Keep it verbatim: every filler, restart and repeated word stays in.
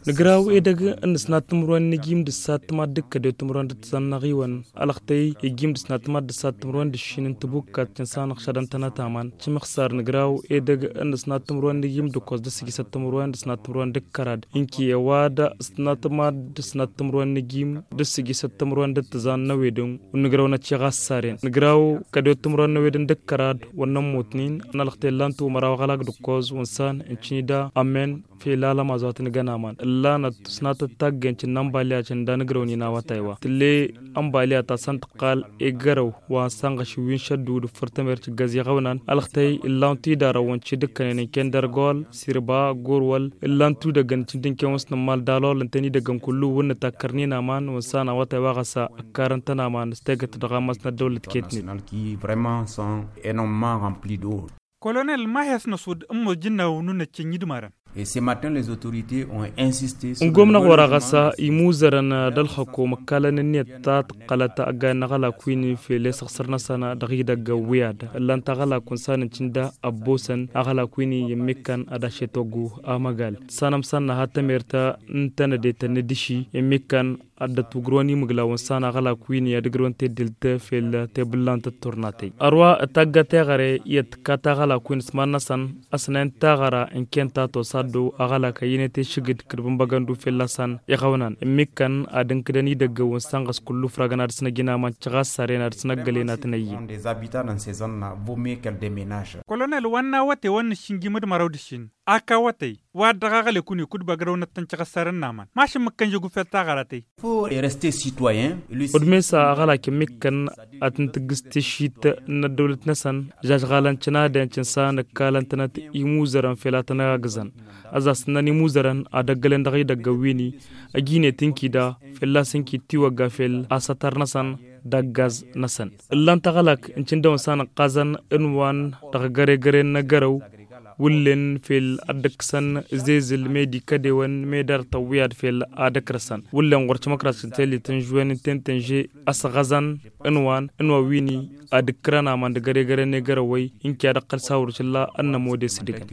Nǝgraw edăgg n-ǝsnat timǝrwen n-ijim d-ǝssat timaddǝk kădewăt timǝrwen d-ǝttǝzan n-aɣiwăn. Alăɣtăy ijim d-ǝsnat timaddǝk d-ǝssat timǝrwen d-ǝššin n-tibukkat cǝnsanăɣ šadăn tănăt aman. Cǝmǝxsar nǝgraw edăgg n-ǝsnat timǝrwen n-ijim d-ǝkkoẓ d-ǝssǝjǝsăt timǝrwen d-ǝsnat timǝrwen d-ǝkkărad. Ǝnki i-ăwadǝm ǝsnat timaddǝk d-ǝsnat timǝrwen n-ijim d-ǝssǝjǝsăt timǝrwen d-ǝttǝzan n-ewedǝn. Wǝnnǝgrăw n-ăcciɣas saren nǝgraw kădewăt timǝrwen n-ewedǝn d-ǝkkărad. Wăr nămmutnen. N-alăɣtăy ǝllan-t umăraw aɣălak d-ǝkkoẓ wǝnsan ǝncǝn-i da amen. Fel alămaz wa t-nǝgăn aman ǝllanăt ǝsnatăt taggen cǝnna ănbaliyat cǝnda nǝgrăwnen awătay wa tǝlle ănbaliyat a-s ăntăqqal i-gărăw wa n-sanɣăš wi n-šăddu d-ǝffǝr tămert cǝggăz iɣăwnan. Alăɣtăy ǝllan-t idarăwăn cǝdǝkkănen ǝnken d-ărgol sirba gurwăl ǝllan-t udăggăn cǝndǝnken wa s-nǝmmal dalol ǝnta n-idăggăn kullu wǝnnǝt akkărnen aman wǝnsan awătay wa ɣas ăkkarăn-tăn aman s-tegăt dăɣ-ammas n-ăddăwlăt ketnen. Kolonel ma hi-ăsnăsud ǝmmos jǝnnaw n-unăccen idmărăn. N-gomnăɣ wăr-aɣăsa imuzărăn d-ălxăkom ǝkkalăn ǝnniyăt ta tǝqqălăt ăggayen n-aɣălak wi n-fel i-săɣsăr-năsăn dăɣ-idăgg ăwwiyad ǝllan-t aɣălak wǝnsan n-cǝnda ăbbosăn aɣălak wi n-iyyǝmmikkan ad-ašet oggu amăgal. Tǝssanăm săn nǝha tămert n-tănădetăn n-idǝši immikkan ad-dd-ătwǝgrǝwăn imǝglaw n-san aɣălak wi n-i ad-ǝgrǝwăn teddelt fel tebǝllant d-turnatăy. Ărwa ătagga teɣăre i-ad-tǝkkat aɣălak wi n-s iman-năsăn ăsnayăn taɣăra ǝnken ta tosa ăddow aɣălak ăyyănet i-išǝgǝd kǝdbǝnbăgăn du fell-asăn iɣăwnan ǝmmǝkkăn ad-ǝnkǝdăn idăggăwăn s-ănɣăs kullu ǝfragăn ad-dăɣ-s năj inaman căɣas saren ad-dăɣ-s năggălen ad-tăn-ăyy. Kolonel wa n-awătay wa n-nǝššǝnjim d-măraw d-ǝššin ak awătay wa dăɣ-aɣălek-win-i kud-băgrăwnăt tăn-căɣăssarăn n-aman mašǝmmǝkkăn žăggu fel taɣăra tăyy. Odmesa aɣălak ǝmmǝkkăn ad-tǝn-tǝggǝs tišit n-ăddăwlăt-năsăn žažɣalăn cǝnadăn cǝnsa nǝkkalăn-tănăt imuzărăn fel a tăn-agǝzăn. Ăzas ǝnnăn imuzărăn ad-ăggălen dăɣ-idăggăn wi n-i ăjine tǝnkida fălla-s ǝnki tiwăgga fel asătăr-năsăn d-aggaz-năsăn. Ǝllan-t aɣălak n-cǝndăwăn s-anăqqazăn ǝnwan dăɣ-găre-găre n-agărăw wǝllen fel ad-dd-ǝkkǝsăn zezǝl medi kădewăn medi ar tăwwiyad fel ad-ǝkrăsăn wǝllen ɣur-timăkrasăn tellit n-žwen n-tentănže ăsɣăzăn ǝnwan ǝnwa wi n-i ad-ǝkkǝrăn aman d-găre-găre n-egărăwăy ǝnki ad-ăqqăl s-awrǝš ǝlla ănnămode s-dǝgăn.